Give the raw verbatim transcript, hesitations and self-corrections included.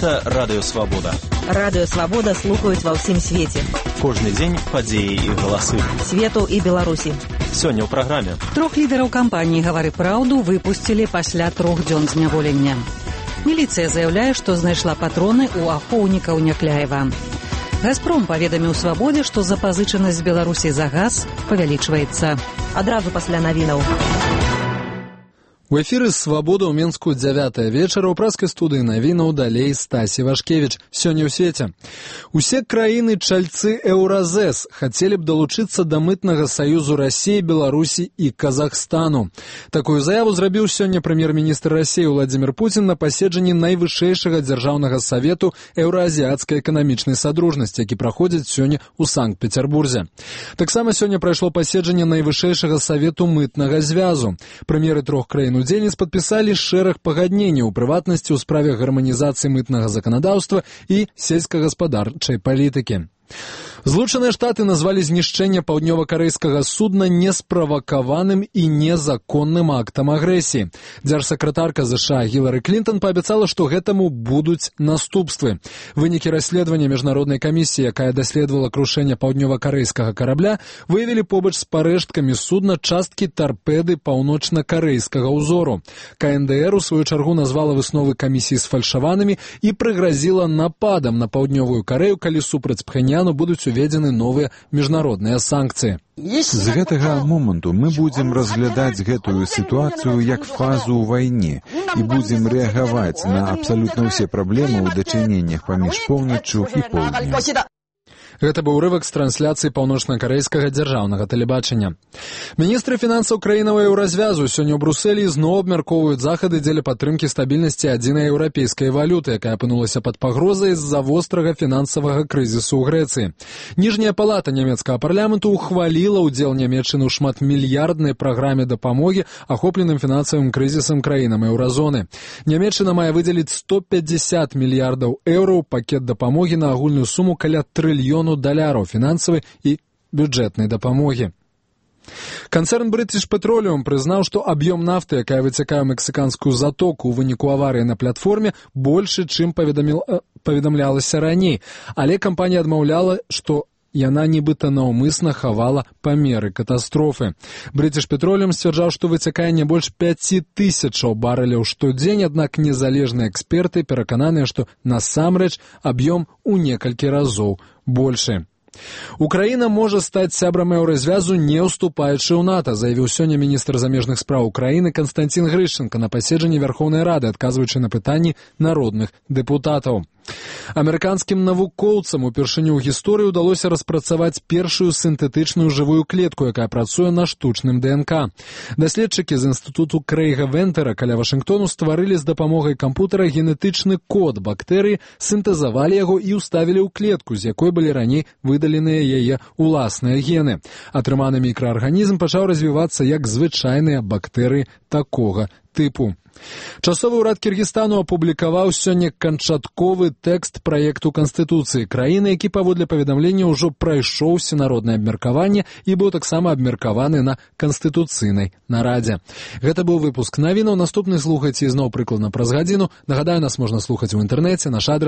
Гэта Радыё Свабода. Радыё Свабода слухаюць ва ўсім свеце. Кожны дзень падзеі і галасы. Свету і Беларусі. Сёння ў праграме. Трох лідараў кампаніі «Гавары праўду» выпусцілі пасля трох дзён зняволення. Міліцыя заяўляе, што знайшла патроны ў ахоўнікаў Някляева. «Газпром» паведаміў «Свабодзе», што запазычанасць Беларусі за газ павялічваецца. Адразу пасля навінаў. У эфіры «Свабода» ў Менску дзявятая вечара. У праскай студыі навінаў далей Стасі Вашкевіч. Сёння ў свеце. Усе краіны чальцы Еўразэс хацелі б далучыцца да мытнага саюзу Расіі, Беларусі і Казахстану. Такую заяву зрабіў сёння прэм'ер-міністр Расіі Владзімір Пуцін на паседжанні найвышэйшага дзяржаўнага савету еўраазіяцкай эканамічнай садружнасці, які праходзіць сёння ў Санкт-Пецярбурзе. Таксама сёння прайшло паседжанне найвышэйшага савету мытнага звязу. Прэм'еры трох краін удзельніц падпісалі шэраг пагадненняў, у прыватнасці ў справе гарманізацыі мытнага заканадаўства і сельскагаспадарчай палітыкі. Злучаныя Штаты назвалі знішчэнне паўднёва-карэйскага судна несправакаваным і незаконным актам агрэсіі. Дзяржсакратарка ЗША Гілары Клінтон паабяцала, што гэтаму будуць наступствы. Вынікі расследавання міжнароднай камісіі, якая даследавала крушэнне паўднёва-карэйскага карабля, выявілі побач з парэшткамі судна часткі тарпеды паўночна-карэйскага ўзору. КНДР у сваю чаргу назвала высновы камісіі сфальшаванымі і прыгразіла нападам на паўднёвую Карэю, калі супраць Пхеньяну будуць уведзены новыя міжнародныя санкцыі. З гэтага моманту мы будзем разглядаць гэтую сітуацыю як фазу ў вайне і будзем рэагаваць на абсалютна ўсе праблемы ў дачыненнях паміж поўначчу і поўднем. Гэта быў урывак з трансляцыі паўночна-карэйскага дзяржаўнага тэлебачання. Міністры фінансаў краінаў еўразвязу сёння ў Брусэлі зноў абмяркоўваюць захады дзеля падтрымкі стабільнасці адзінай еўрапейскай валюты, якая апынулася пад пагрозай з-за вострага фінансавага крызісу ў Грэцыі. Ніжняя палата нямецкага парламенту ухваліла ўдзел Нямецчыны ў шматмільярднай праграме дапамогі ахопленым фінансавым крызісам краінам еўразоны. Нямецчына мае выдзеліць сто пятьдесят мільярдаў еўраў пакет дапамогі на агульную суму каля трыльёну даляраў фінансавай і бюджэтнай дапамогі. Канцэрн British Petroleum прызнаў, што аб'ём нафты, якая выцякае ў мексіканскую затоку ў выніку аварыі на платформе, большы, чым паведаміл, паведамлялася раней, але кампанія адмаўляла, што яна нібыта наўмысна хавала памеры катастрофы. British Petroleum сцвярджаў, што выцякае не больш пяці тысячаў барэляў штодзень, аднак незалежныя эксперты перакананыя, што насамрэч аб'ём у некалькі разоў большы. Украіна можа стаць сябрам еўразвязу, не ўступаючы ў НАТО, заявіў сёння міністр замежных спраў Украіны Канстанцін Грышченка на паседжанні Вярхоўнай Рады, адказваючы на пытанні народных дэпутатаў. Амерыканскім навукоўцам упершыню ў гісторыі ўдалося распрацаваць першую сінтэтычную жывую клетку, якая працуе на штучным ДНК. Даследчыкі з інстытуту Крэйга Вентера каля Вашынгтону стварылі з дапамогай кампутара генетычны код бактэрыі, сінтэзавалі яго і ўставілі ў клетку, з якой былі раней выдаленыя яе уласныя гены. Атрыманы мікраарганізм пачаў развівацца як звычайныя бактэрыі такога тыпу. Часовы ўрад Кіргізстану апублікаваў сёння канчатковы тэкст праекту Канстытуцыі краіны, які паводле паведамлення ўжо прайшоў всенароднае абмеркаванне і быў таксама абмеркаваны на канстытуцыйнай нарадзе. Гэта быў выпуск навінаў. Наступны слухайце ізноў прыкладна праз гадзіну. Нагадаю, нас можна слухаць у інтэрнэце, наш адрес